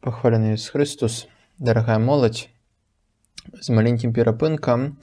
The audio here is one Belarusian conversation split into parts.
Пахвалены Ісус Христус, дарагая моладзь, з маленькім перапынкам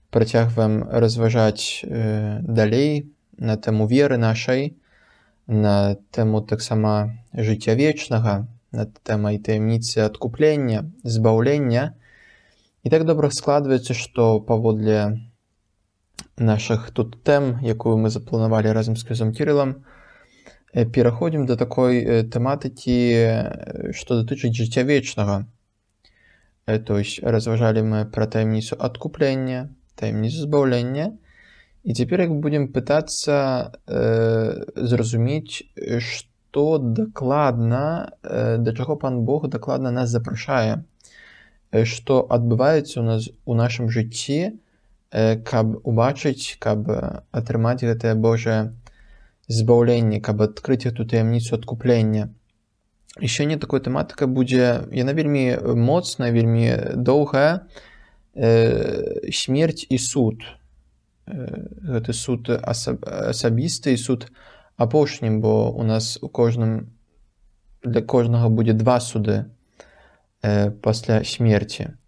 працягваем разважаць далей на тэму веры нашай, на тэму таксама жыцця вечнага, на тэмай таямніцы адкуплення, збаўлення. І так добра складваецца, што паводле нашых тут тэм, якую мы запланавалі разам з князём Кірылам, пераходзім да такой тэматыкі, што датычыць жыцця вечнага. То есть разважалі мы пра таямніцу адкуплення, таямніцу збаўлення, і цяпер як будзем пытацца зразумець, што дакладна, да чаго Пан Бог дакладна нас запрашае, што адбываецца ў нас у нашым жыцці, каб убачыць, каб атрымаць гэтае Божае збаўленне, каб адкрыць гэту таямніцу адкуплення. І сёння такой тэматыка будзе, яна вельмі моцная, вельмі доўгая, смерць і суд. Гэты суд асабісты і суд апошнім, бо у нас для кожнага будзе два суды пасля смерці.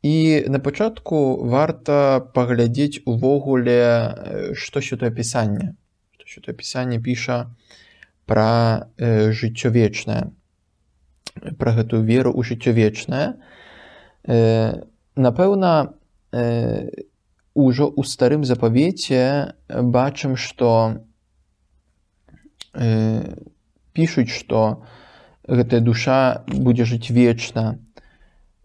І на пачатку варта паглядзець увогуле, што Святое Пісанне. Святое Пісанне піша пра жыццё вечнае, пра гэтую веру ў жыццё вечнае. Напэўна, ужо ў старым запавеце бачым, што пішуць, што гэтая душа будзе жыць вечна,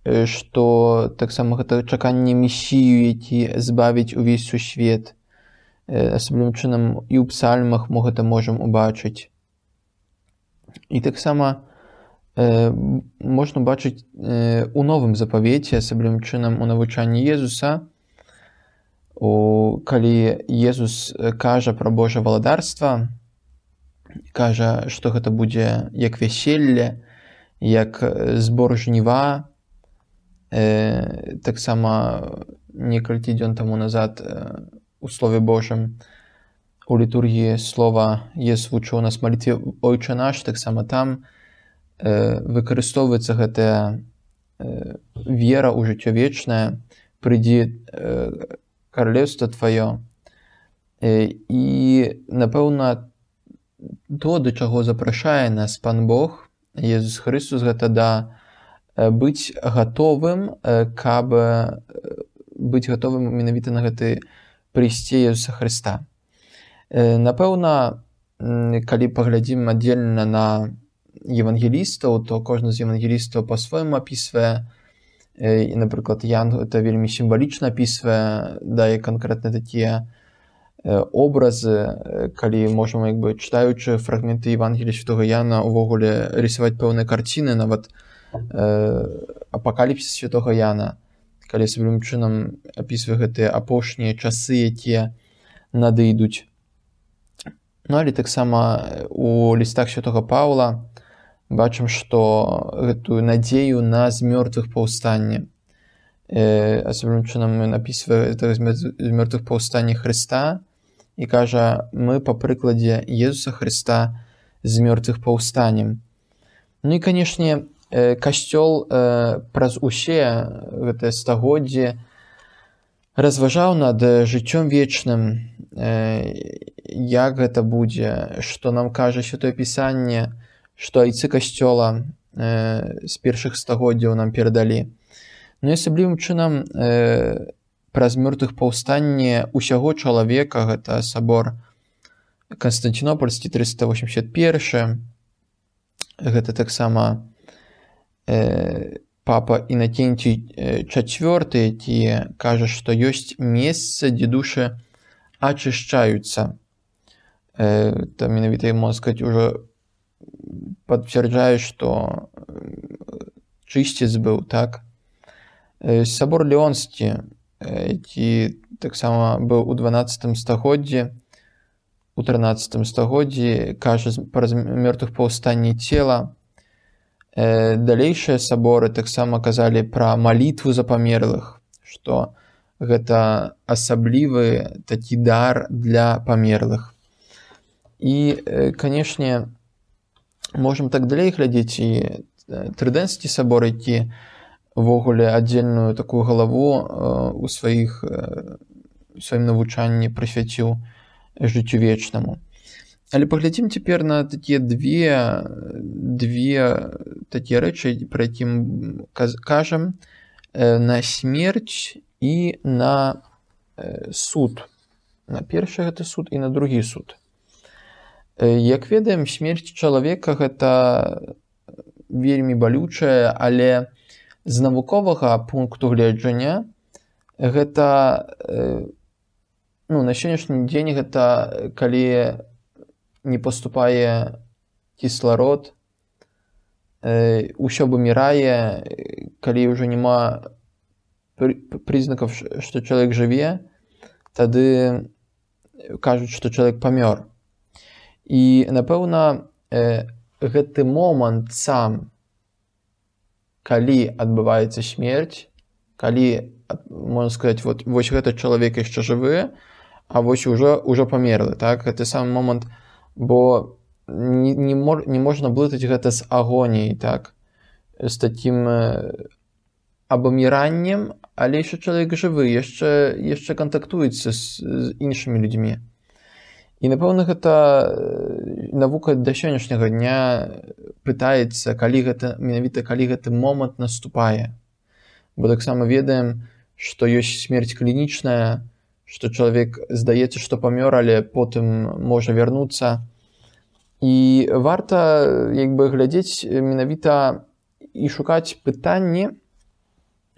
што таксама гэта чаканне Месію, які збавіць увесь сусвет. Асаблівым чынам і ў псальмах мы гэта можам убачыць. І таксама можна бачыць у новым запавеце, асаблівым чынам у навучанні Езуса, калі Езус кажа пра Божае валадарства, кажа, што гэта будзе як вяселле, як збор жніва. Таксама некалькі дзён таму назад у Слове Божым у літургіі слова Езус вучыў нас малітве «Ойче наш», таксама там выкарыстоўваецца гэтая вера ў жыццё вечнае, «Прыйдзі каралеўства тваё». І, напэўна, то, да чаго запрашае нас Пан Бог, Езус Христус, гэта да быць гатовым, каб быць гатовым менавіта на гэты прыйсце Езуса Хрыста. Напэўна, калі паглядзім аддзельна на евангелістаў, то кожны з евангелістаў па-свойму апісвае, і, напрыклад, Ян гэта вельмі сімвалічна апісвае, дае канкрэтна такія образы, калі можам, чытаючы фрагменты Евангелія Святога Яна, увогуле рисаваць пэўныя карціны, нават апакаліпсіс Святога Яна, калі асаблівым чынам апісвае гэтыя апошнія часы, якія надыйдуць. Ну, але таксама у лістах Святога Паўла бачым, што гэтую надзею на з мёртвых паўстанне. Асаблівым чынам ён апісвае з мёртвых паўстанне Хрыста і кажа, мы па прыкладзе Езуса Хрыста з мёртвых паўстанем. Ну і, канешне, Касцёл праз усе гэтыя стагоддзі разважаў над жыццём вечным, як гэта будзе, што нам кажа Святое Пісанне, што айцы Касцёла з першых стагоддзяў нам перадалі. Ну і асаблівым чынам праз мёртвых паўстанне усяго чалавека, гэта сабор Канстанцінопольскі 381, гэта таксама папа Інакенцій IV, які кажа, што ёсць месца, дзе душы ачышчаюцца. То менавіта, можна сказаць, ужо пацвярджае, што чысціц быў, так? Сабор Леонскі, які таксама быў у 12 стагоддзі, у 13 стагоддзі, кажа пра мёртвых паўстанне цела. Далейшыя саборы таксама казалі пра малітву за памерлых, што гэта асаблівы такі дар для памерлых. І, канешне, можам так далей глядзець і Трыдэнскі сабор, які увогуле аддзельную такую галаву у сваім навучанні прысвяціў жыццю вечнаму. Але паглядзім цяпер на такія две такія рэчы, пра які кажам, на смерць і на суд. На першы гэта суд і на другі суд. Як ведаем, смерць чалавека гэта вельмі балючая, але з навуковага пункту гледжання гэта, на сённяшні дзень гэта калі не паступае кісларод, усё вымірае, калі ўжо няма прызнакаў, што чалавек жыве, тады кажуць, што чалавек памёр. І, напэўна, гэты момант сам, калі адбываецца смерць, калі, можна сказаць, вось гэты чалавек яшчэ жывы, а вось ужо памерлы, так? Гэты самы момант, бо не можна блытаць гэта з агоніяй, так? З такім абміраннем, але яшчэ чалавек жывы, яшчэ кантактуецца з іншымі людзьмі. І, напэўна, гэта навука да сённяшняга дня пытаецца, менавіта калі гэты момант наступае. Бо таксама ведаем, што ёсць смерць клінічная, што чалавек здаецца, што памёр, але потым можа вярнуцца. І варта глядзець менавіта і шукаць пытанні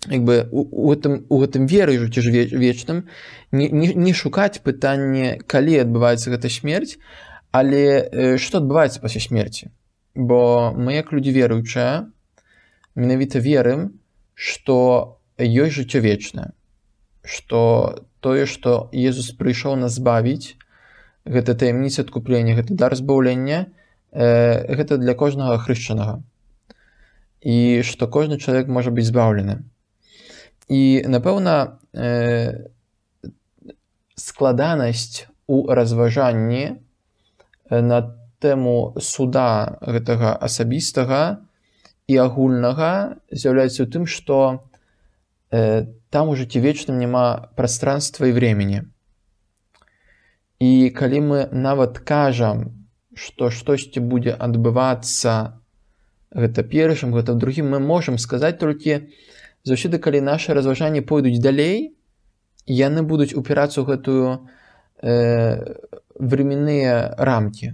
у гэтым веры жыцці вечным, не шукаць пытанне, калі адбываецца гэта смерць, але што адбываецца пасля смерці. Бо мы, як людзі веруючыя, менавіта верым, што ёсць жыццё вечнае, што тое, што Езус прыйшоў нас збавіць, гэта таямніца адкуплення, гэта дар збаўлення, гэта для кожнага хрышчанага. І што кожны чалавек можа быць збаўлены. І, напэўна, складанасць у разважанні на тэму суда гэтага асабістага і агульнага з'яўляецца ў тым, што там у жыцці вечным няма прастранства і времени. І калі мы нават кажам, што штосьці будзе адбывацца гэта першым, гэта другім, мы можам сказаць толькі заўсёды, калі нашы разважанні пойдуць далей, яны будуць упірацца ў гэтую временныя рамкі.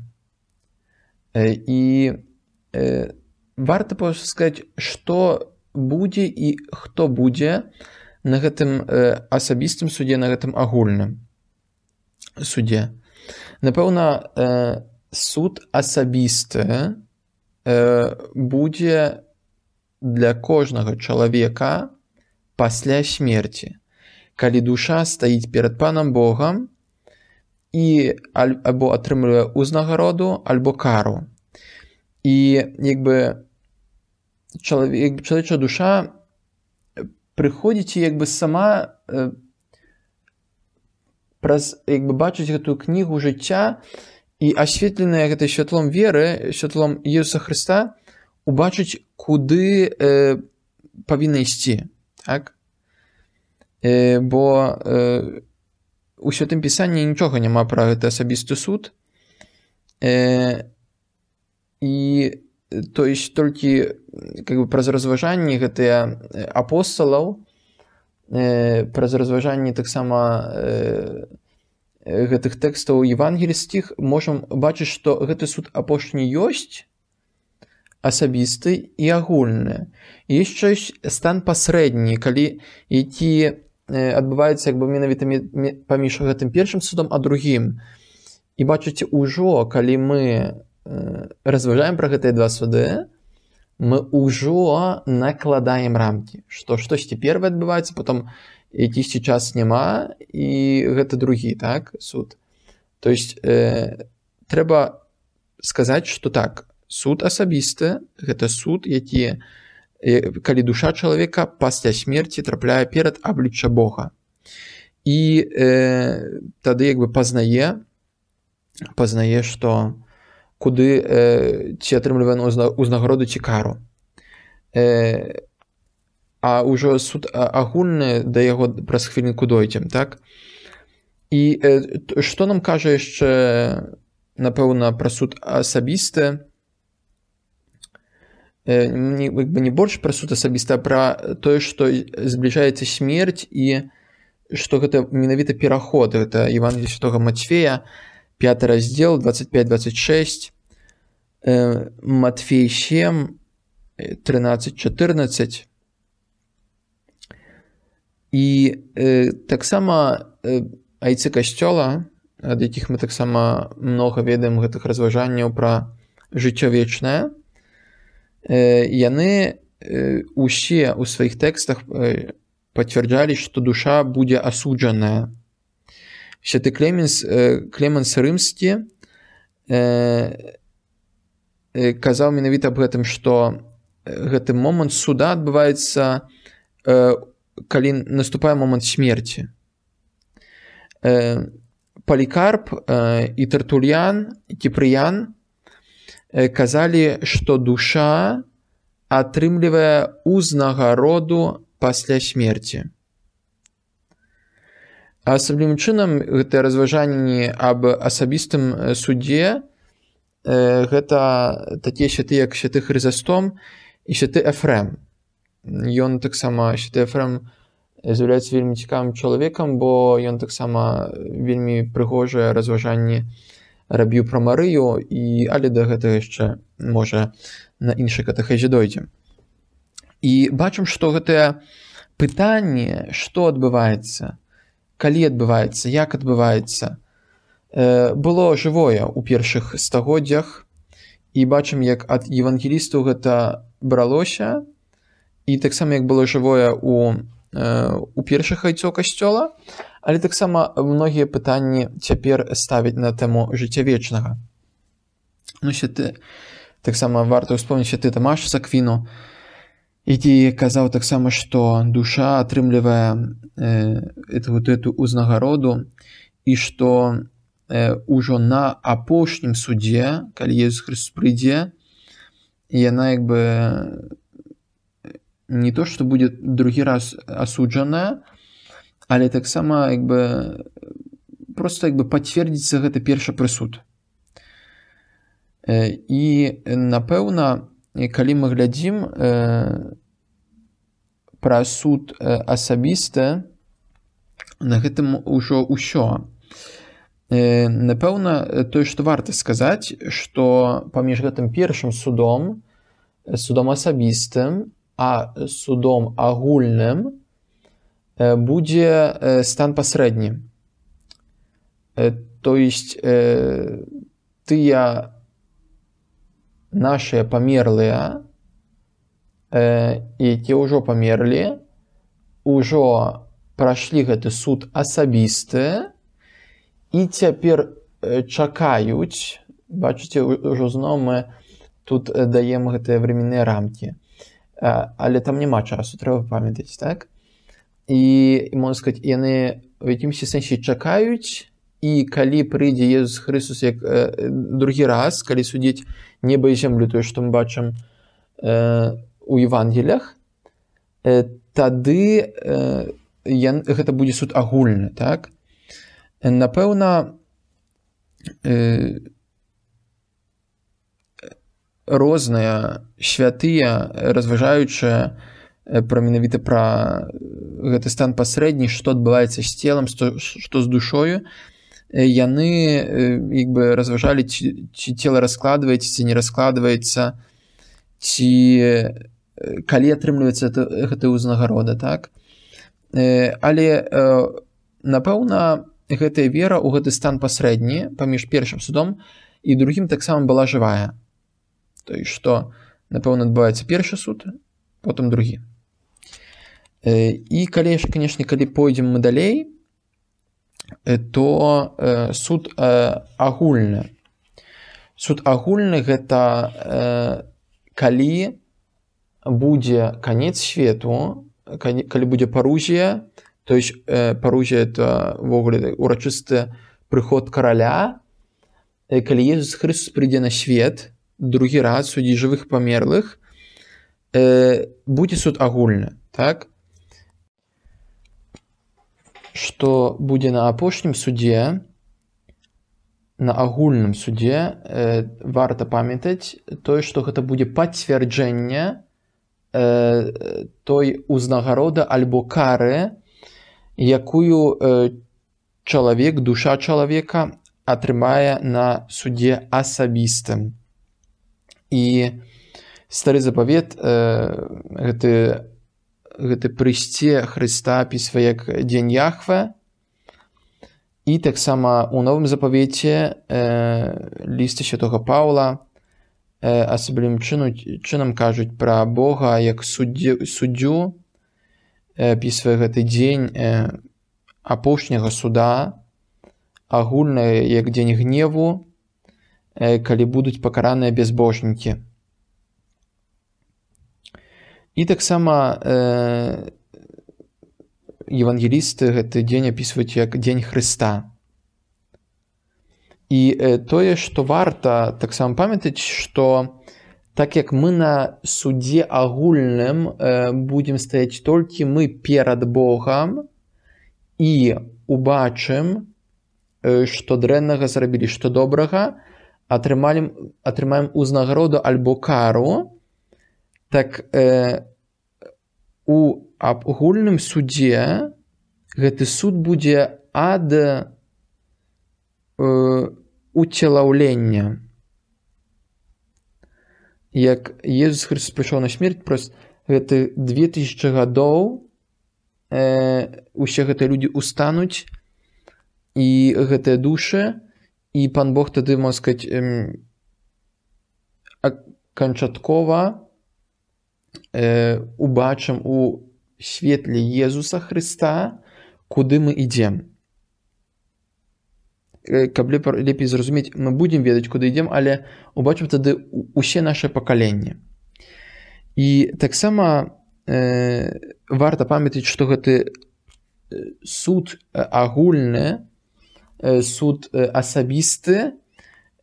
І варта проста сказаць, што будзе і хто будзе на гэтым асабістым судзе, на гэтым агульным судзе. Напэўна, суд асабісты будзе для кожнага чалавека пасля смерці, калі душа стаіць перад Панам Богам і або атрымлівае ўзнагароду, альбо кару. І чалавечая душа прыходзіць і сама бачыць гэтую кнігу жыцця і асветленая гэтай святлом веры, святлом Ісуса Хрыста, убачыць, куды павінна ісці. Так? Бо у Святым Пісанні нічога няма пра гэты асабісты суд. І то есть толькі праз разважанні гэтыя апосталаў, праз разважанні таксама гэтых тэкстаў евангельскіх можам бачыць, што гэты суд апошні ёсць, асабісты і агульны. І ёсць стан пасрэдні, які адбываецца менавіта паміж гэтым першым судом, а другім. І бачыце, ужо, калі мы разважаем пра гэтыя два суды, мы ўжо накладаем рамкі, што штосьці першае адбываецца, потом якісьці час няма, і гэта другі, так, суд. То есть трэба сказаць, што так, суд асабісты – гэта суд, які, калі душа чалавека пасля смерці трапляе перад аблічча Бога. І тады пазнае, што куды ці атрымлівае ўзнагароду ці кару. а ўжо суд агульны да яго праз хвілінку дойдзем, так? І што нам кажа яшчэ, напэўна, пра суд асабісты? Не больш пра суд асабісты, а пра тое, што збліжаецца смерць і што гэта менавіта пераход. Гэта Евангелие Святога Матфея, 5 раздзел, 25-26, Матфей 7, 13-14. І таксама айцы касцёла, ад якіх мы таксама многа ведаем гэтых разважанняў пра жыццё вечнае, яны усе ў сваіх тэкстах пацвярджалі, што душа будзе асуджаная. Святы Клеманс Рымскі казаў менавіта аб гэтым, што гэты момант суда адбываецца, калі наступае момант смерці. Палікарп і Тертульян, і Кіпрыян казалі, што душа атрымлівае узнагароду пасля смерці. А асаблівым чынам гэтыя разважанні аб асабістым судзе гэта такія святы, як святы Хрызастом і святы Эфрем. Ён таксама, святы Эфрем, з'яўляецца вельмі цікавым чалавекам, бо ён таксама вельмі прыгожыя разважанні рабіў пра Марыю, але да гэтага яшчэ, можа, на іншай катэхезе дойдзем. І бачым, што гэтае пытанне, што адбываецца, калі адбываецца, як адбываецца, было жывое ў першых стагоддзях, і бачым, як ад евангелістаў гэта бралося, і таксама як было жывое у першых айцоў касцёла, але таксама многія пытанні цяпер ставяць на тэму жыцця вечнага. Таксама варта ўспомніць святы Тамаш з Аквіну, які казаў таксама, што душа атрымлівае эту узнагароду, і што ўжо на апошнім судзе, калі Езус Хрыстос прыйдзе, яна як бы не то, што будзе другі раз асуджаная, але таксама як бы проста як бы пацвердзіцца гэты першы прысуд. І напэўна, калі мы глядзім пра суд асабісты, на гэтым ужо ўсё. Напэўна, тое, што варта сказаць, што паміж гэтым першым судом асабістым, а судом агульным будзе стан пасрэдні. То есть тыя нашыя памерлыя, якія ўжо памерлі, ўжо прайшлі гэты суд асабісты і цяпер чакаюць, бачыце, ўжо зноў мы тут даем гэтыя временныя рамкі. Але там няма часу, трэба памятаць, так? І, можна сказаць, яны в якімсьці сэнсе чакаюць, і калі прыйдзе Езус Хрыстос як другі раз, калі судзіць неба і зямлю, тое, што мы бачым у Евангеліях, тады гэта будзе суд агульны, так? Напэўна, розныя святыя, разважаючыя менавіта пра гэты стан пасрэдні, што адбываецца з целам, што з душою, яны як бы разважалі, ці цела раскладваецца, ці не раскладваецца, ці калі атрымліваецца гэта ўзнагарода, так? Але напэўна, гэтая вера ў гэты стан пасрэдні паміж першым судом і другім таксама была жывая. То есть, што, напэўна, адбываецца першы суд, потым другі. І калі, канешне, калі пойдзем мы далей, то суд агульны. Суд агульны гэта калі будзе канец свету, калі будзе парузія, то есть парузія это ввогуле урачысты прыход караля, калі Езус Хрыстос прыйдзе на свет, другі раз судзіць жывых памерлых, будзе суд агульны, так? Што будзе на апошнім судзе, на агульным судзе, варта памятаць тое, што гэта будзе пацвярджэнне той узнагароды альбо кары, якую чалавек, душа чалавека атрымае на судзе асабістым. І стары запавет, гэты прыйсце Хрыста апісвае як дзень Яхве, і таксама ў новым запавеце лісты святога Паўла асаблівым чынам кажуць пра Бога як суддзю, апісвае гэты дзень апошняга суда, агульны як дзень гневу, калі будуць пакараныя бязбожнікі. І таксама евангелісты гэты дзень апісваюць як дзень Хрыста. І тое, што варта таксама памятаць, што так як мы на судзе агульным будзем стаяць толькі мы перад Богам і убачым, што дрэннага зрабілі, што добрага, атрымаем узнагароду альбо кару, так у агульным судзе гэты суд будзе ад уцелаўлення. Як Езус Христос прыйшоў на смерць, прост гэты 2000 гадоў усе гэтыя людзі устануць, і гэтыя душы, і Пан Бог тады, можна сказаць, канчаткова убачым у светле Езуса Хрыста, куды мы ідзем. Каб лепей зразумець, мы будзем ведаць, куды ідзем, але убачым тады усе нашы пакаленні. І таксама варта памятаць, што гэты суд агульны, суд асабісты,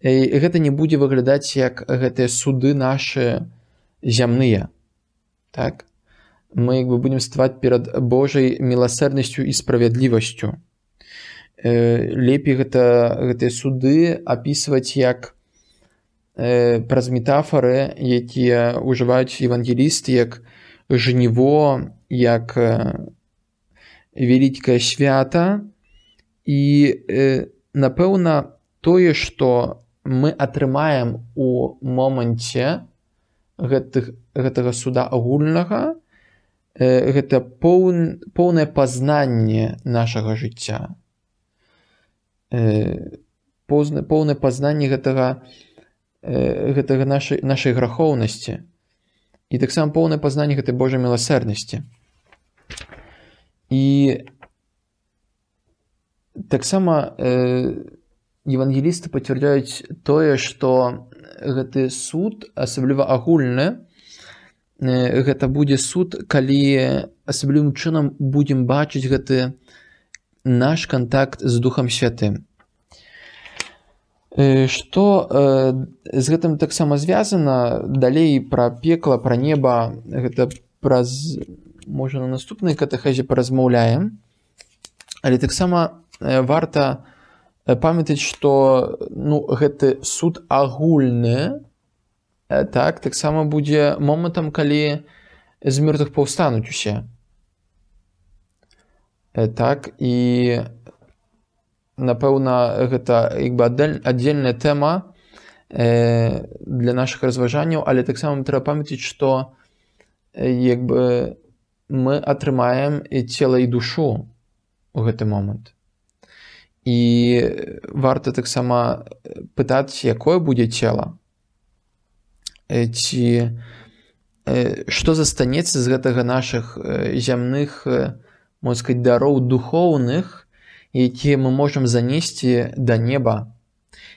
гэта не будзе выглядаць як гэтыя суды нашы зямныя. Так? Мы будзем ставаць перад Божай міласэрнасцю і справядлівасцю. Лепей гэтыя суды апісваць як праз метафары, якія ўжываюць евангелісты, як жніво, як вялікае свята. І, напэўна, тое, што мы атрымаем у моманце гэтага суда агульнага, гэта поўнае пазнанне нашага жыцця. Поўнае пазнанне гэтага нашай грахоўнасці. І таксама поўнае пазнанне гэтай Божай міласэрнасці. І таксама евангелісты пацвярджаюць тое, што гэты суд, асабліва агульны, гэта будзе суд, калі асаблівым чынам будзем бачыць гэты наш кантакт з Духам Святым. Што з гэтым таксама звязана, далей пра пекла, пра неба, гэта праз, можа, на наступнай катэхезе паразмаўляем, але таксама варта памятаць, што гэты суд агульны таксама будзе момантам, калі з мёртвых паўстануць усе. І напэўна, гэта аддзельная тэма для нашых разважанняў, але таксама трэба памятаць, што мы атрымаем цела і душу у гэты момант. І варта таксама пытацца, якое будзе цела, ці што застанецца з гэтага нашых зямных, можна сказаць, дароў духоўных, якія мы можам занесці да неба,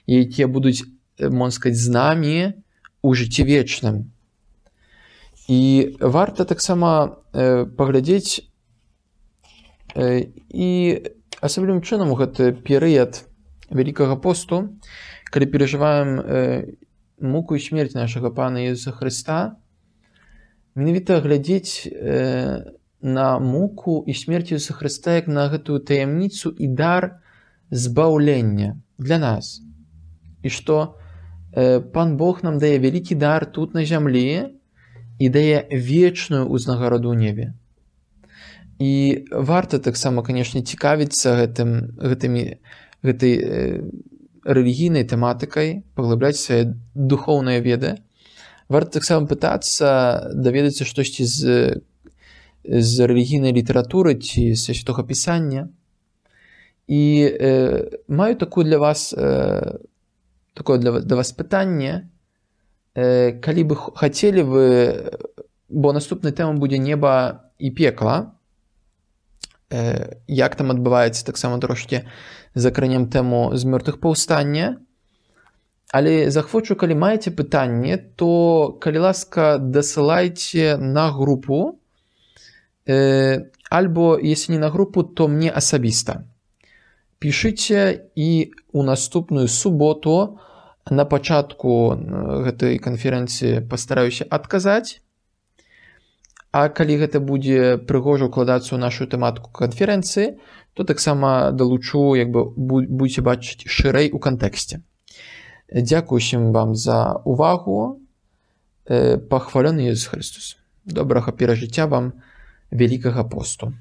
якія будуць, можна сказаць, з намі у жыцці вечным. І варта таксама паглядзець і асаблівым чынам у гэты перыяд Вялікага посту, калі перажываем муку і смерць нашага Пана Езуса Хрыста, менавіта глядзець на муку і смерць Ісуса Хрыста як на гэтую таямніцу і дар збаўлення для нас. І што Пан Бог нам дае вялікі дар тут на зямлі і дае вечную ўзнагароду ў небе. І варта таксама, канешне, цікавіцца гэтай рэлігійнай тэматыкай, паглыбляць свае духоўныя веды. Варта таксама пытацца даведацца штосьці з рэлігійнай літаратуры ці з Святога Пісання. І маю такое для вас пытанне, калі бы хацелі вы, бо наступная тэма будзе неба і пекла, як там адбываецца, таксама трошкі закранем тэму з мёртвых паўстання. Але захвочу, калі маеце пытанне, то, калі ласка, дасылайце на групу, альбо, если не на групу, то мне асабіста. Пішыце, і ў наступную суботу на пачатку гэтай канферэнцыі пастараюся адказаць. А калі гэта будзе прыгожа ўкладацца ў нашу тэматыку канферэнцыі, то таксама далучу, будзеце бачыць шырэй у кантэксце. Дзякую усім вам за увагу. Пахвалёны Ісус Христос. Добрага перажыцця вам Вялікага посту.